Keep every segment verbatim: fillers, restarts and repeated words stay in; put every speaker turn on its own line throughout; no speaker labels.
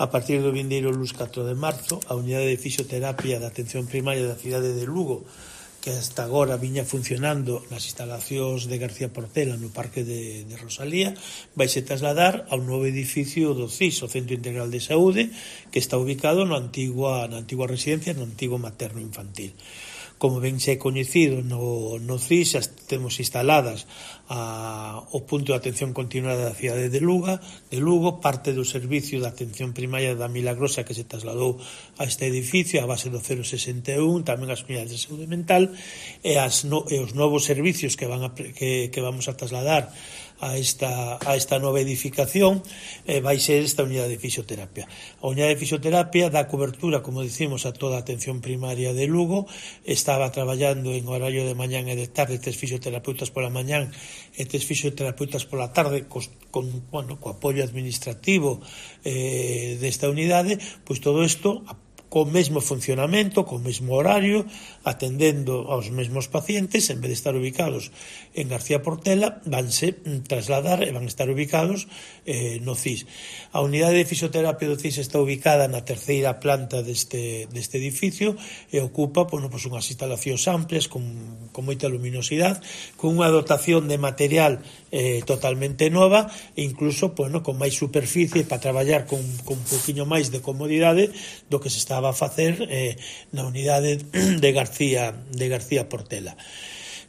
A partir do vindeiro luns catro de marzo, a unidade de fisioterapia da atención primaria da cidade de Lugo, que hasta agora viña funcionando nas instalacións de García Portela no Parque de, de Rosalía, vaise trasladar ao novo edificio do C I S, o Centro Integral de Saúde, que está ubicado na antigua, na antigua residencia, no antigo materno infantil. Como ben se é coñecido no, no C I S, xa temos instaladas a, o punto de atención continuada da cidade de Lugo, de Lugo, parte do servicio de atención primaria da Milagrosa que se trasladou a este edificio a base do cero sesenta e un, tamén as unidades de saúde mental e, as no, e os novos servicios que, van a, que, que vamos a trasladar a esta, a esta nova edificación eh, vai ser esta unidade de fisioterapia. A unidade de fisioterapia dá cobertura, como dicimos, a toda a atención primaria de Lugo. Estaba traballando en horario de mañán e de tarde, tres fisioterapeutas pola mañán e tres fisioterapeutas pola tarde, cos, con, bueno, co apoio administrativo eh, desta unidade. Pois todo isto co mesmo funcionamento, co mesmo horario, atendendo aos mesmos pacientes, en vez de estar ubicados en García Portela, vanse trasladar e van estar ubicados eh, no C I S. A unidade de fisioterapia do C I S está ubicada na terceira planta deste, deste edificio e ocupa bueno, pues, unhas instalacións amplias con, con moita luminosidade, con unha dotación de material eh, totalmente nova e incluso bueno, con máis superficie para traballar con, con un poquinho máis de comodidade do que se estaba a facer eh, na unidade de García, de García Portela.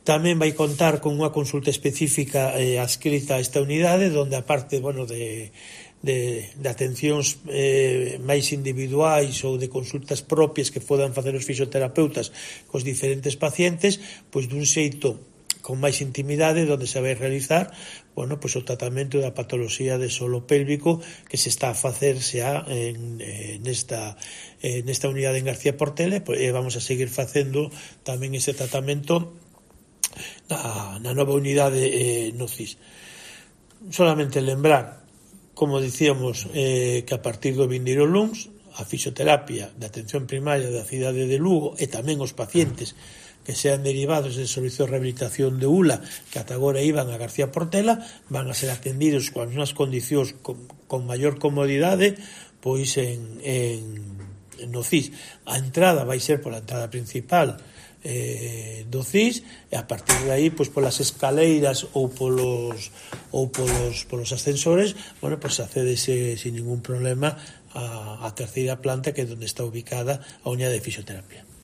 Tamén vai contar con unha consulta específica eh, adscrita a esta unidade, donde aparte bueno, de, de, de atencións eh, máis individuais ou de consultas propias que podan facer os fisioterapeutas cos diferentes pacientes, pois dun xeito con máis intimidade, onde se vai realizar bueno, pues, o tratamento da patoloxía de solo pélvico que se está a facer xa en, en esta, en esta unidade en García Portela e vamos a seguir facendo tamén ese tratamento na, na nova unidade eh, no C I S. Solamente lembrar, como dicíamos, eh, que a partir do vindeiro luns a fisioterapia de atención primaria da cidade de Lugo e tamén os pacientes que sean derivados del servicio de rehabilitación de U L A que ata agora iban a García Portela van a ser atendidos con unhas condicións con, con maior comodidade pois en, en, no C I S. A entrada vai ser pola entrada principal eh, do C I S e a partir de aí pois polas escaleiras ou polos ou polos, polos ascensores bueno, pois accedese sin ningún problema a, a terceira planta que é onde está ubicada a unidade de fisioterapia.